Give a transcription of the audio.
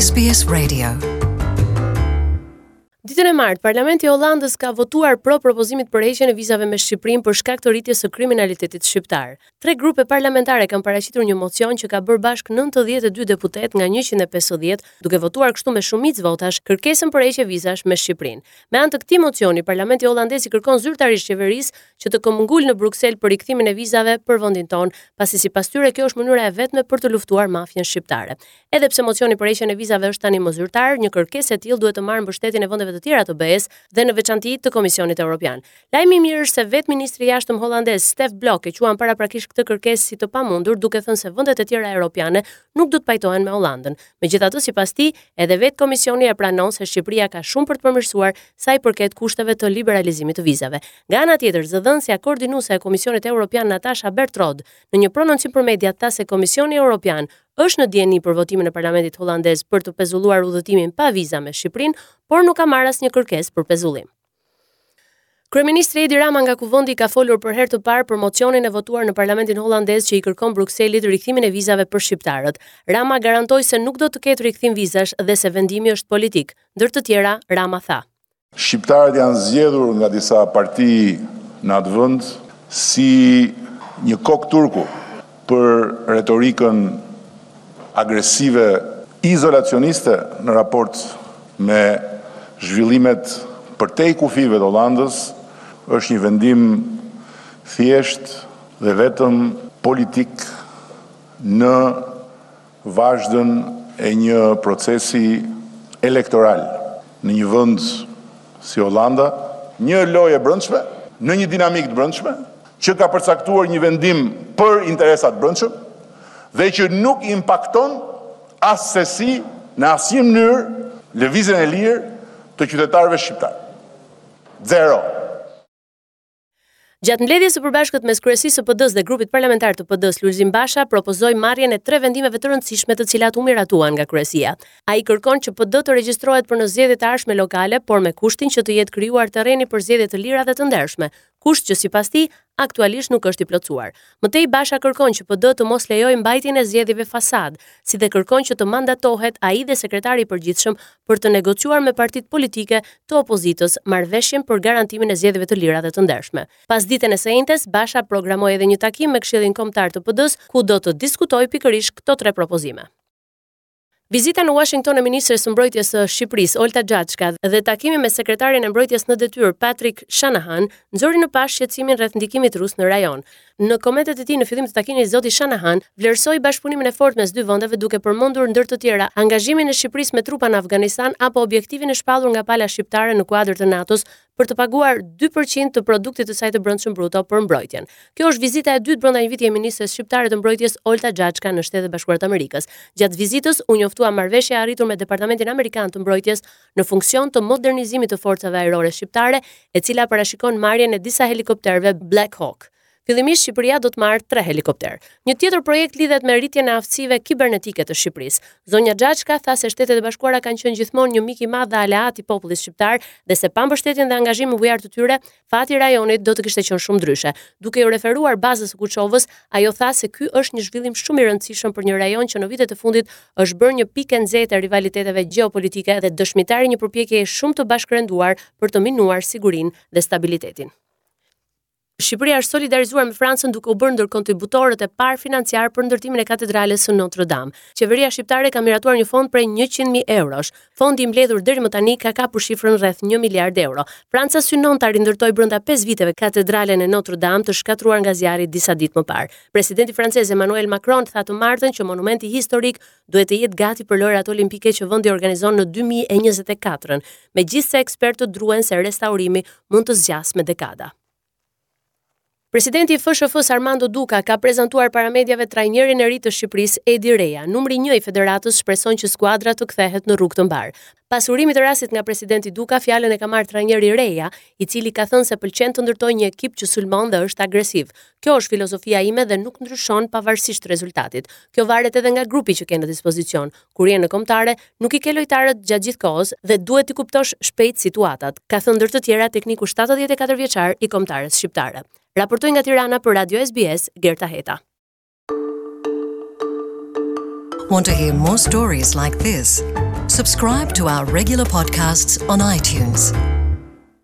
SBS Radio. Ditën e martë, Parlamenti i Hollandës ka votuar pro propozimit për heqjen e vizave me Shqipërinë për shkak të rritjes së kriminalitetit shqiptar. Tre grupe parlamentare kanë paraqitur një mocion që ka bërë bashkë 92 deputetë nga 150, duke votuar kështu me shumicë votash kërkesën për heqje vizash me Shqipërinë. Me anë të këtij mocioni, Parlamenti holandez i kërkon zyrtarisht qeverisë që të këmbëngulë në Bruksel për rikthimin e vizave për vendin tonë, pasi sipas tyre kjo është mënyra e vetme për të luftuar mafien shqiptare. Edhe pse mocioni për heqjen e vizave është tani më zyrtar, një kërkesë e tillë duhet të marrë mbështetjen e vendeve të tjera të BE-së dhe në veçanti të Komisionit Evropian. Lajmi i mirë është se vetë ministri i Jashtëm holandez Stef Blok e quan paraprakisht këtë kërkesë si të pamundur, duke thënë se vendet e tjera europiane nuk do të pajtohen me Holandën. Megjithatë, sipas tij, edhe vetë Komisioni e pranon se Shqipëria ka shumë për të përmirësuar sa i përket kushteve të liberalizimit të vizave. Nga ana tjetër, zëdhënësja koordinuese e Komisionit Evropian Natasha Bertrod, në një prononcim për mediat tha se Komisioni Evropian është në dijeni për votimin e Parlamentit holandez për të pezulluar udhëtimin pa viza me Shqipërinë, por nuk ka marrë asnjë kërkesë për pezullim. Kryeministri Edi Rama nga Kuvendi ka folur për herë të parë për mocionin e votuar në Parlamentin holandez që i kërkon Brukselit rikthimin e vizave për shqiptarët. Rama garantoi se nuk do të ketë rikthim vizash dhe se vendimi është politik. Ndër të tjera, Rama tha. Shqiptarët janë zgjedhur nga disa parti në atë vend si një kokë turku për retorikën agresive izolacioniste në raport me zhvillimet përtej kufijve të Holandës, është një vendim thjesht dhe vetëm politik në vazhdën e një procesi elektoral në një vend si Holanda, një lojë e brendshme, në një dinamikë të brendshme, që ka përcaktuar një vendim për interesa të brendshëm dhe që nuk impakton assesi në asnjë mënyrë lëvizjen e lirë të qytetarëve shqiptarë. Zero. Gjatë mbledhjes së përbashkët mes kryesisë së PD-së dhe grupit parlamentar të PD-së, Lulzim Basha propozoi marrjen e tre vendimeve të rëndësishme të cilat u miratuan nga kryesia. Ai kërkon që PD të regjistrohet për në zgjedhjet e ardhshme lokale, por me kushtin që të jetë krijuar terreni për zgjedhje të lira dhe të ndershme, kusht që sipas tij aktualisht nuk është i plotësuar. Më tej Basha kërkon që PD të mos lejojë mbajtjen e zgjedhjeve fasadë, si dhe kërkon që të mandatohet ai dhe sekretari i përgjithshëm për të negociuar me partitë politike të opozitës marrëveshjen për garantimin e zgjedhjeve të lira dhe të ndershme. Pasditen e së enjtes, Basha programoi edhe një takim me Këshillin Kombëtar të PD-së, ku do të diskutojë pikërisht këto tre propozime. Vizita në Washington e ministres së Mbrojtjes së Shqipërisë, Olta Xhaçka, dhe takimi me sekretarin e Mbrojtjes në detyrë, Patrick Shanahan, nxori në pah shqetësimin rreth ndikimit rus në rajon. Në komentet e tij në fillim të takimit, zoti Shanahan vlerësoi bashkëpunimin e fortë mes dy vendeve duke përmendur ndër të tjera angazhimin e Shqipërisë me trupa në Afganistan apo objektivin e shpallur nga pala shqiptare në kuadër të NATO-s për të paguar 2% të produktit të saj të brendshëm bruto për mbrojtjen. Kjo është vizita e dytë brenda një viti e ministres shqiptare të mbrojtjes Olta Xhaçka në Shtetet e Bashkuara të Amerikës. Gjatë vizitës u njoftua marrëveshja e arritur me Departamentin Amerikan të Mbrojtjes në funksion të modernizimit të forcave ajrore shqiptare, e cila parashikon marrjen e disa helikopterëve Black Hawk. Fillimisht Shqipëria do të marrë 3 helikopterë. Një tjetër projekt lidhet me rritjen e aftësive kibernetike të Shqipërisë. Zonja Xhaçka tha se Shtetet e Bashkuara kanë qenë gjithmonë një mik i madh dhe aleat i popullit shqiptar dhe se pa mbështetjen dhe angazhimin bujar të tyre, fati i rajonit do të kishte qenë shumë ndryshe. Duke iu referuar bazës së Kuçovës, ajo tha se ky është një zhvillim shumë i rëndësishëm për një rajon që në vitet e fundit është bërë një pikë e nxehtë e rivaliteteve gjeopolitike dhe dëshmitar i një përpjekjeje shumë të bashkërenduar për të minuar sigurinë dhe stabilitetin. Shqipëria është solidarizuar me Francën duke u bërë ndër kontributorët e parë financiarë për ndërtimin e katedrales së Notre Dame. Qeveria shqiptare ka miratuar një fond prej 100.000 eurosh. Fondi i mbledhur deri më tani ka kapur shifrën rreth 1 miliard euro. Franca synon ta rindërtojë brenda 5 viteve katedralen e Notre Dame të shkatërruar nga zjarri disa ditë më parë. Presidenti francez Emmanuel Macron tha të martën që monumenti historik duhet të jetë gati për Lojërat Olimpike që vendi organizon në 2024-ën, megjithëse ekspertët druhen se restaurimi mund të zgjasë me dekada. Presidenti i FSHF-së Armando Duka ka prezantuar para mediave trajnerin e ri të Shqipërisë, Edi Reja. Numri 1 i federatës shpreson që skuadra të kthehet në rrugë të mbarë. Pas urimit të rastit nga presidenti Duka, fjalën e ka marrë trajneri Reja, i cili ka thënë se pëlqen të ndërtojë një ekip që sulmon dhe është agresiv. Kjo është filozofia ime dhe nuk ndryshon pavarësisht rezultatit. Kjo varet edhe nga grupi që ke në dispozicion. Kur je në kombëtare, nuk i ke lojtarët gjatë gjithë kohës dhe duhet t'i kuptosh shpejt situatat, ka thënë ndër të tjera tekniku 74 vjeçar i kombëtares shqiptare. Raportoi nga Tirana për Radio SBS, Gerta Heta. Want to hear more stories like this? Subscribe to our regular podcasts on iTunes.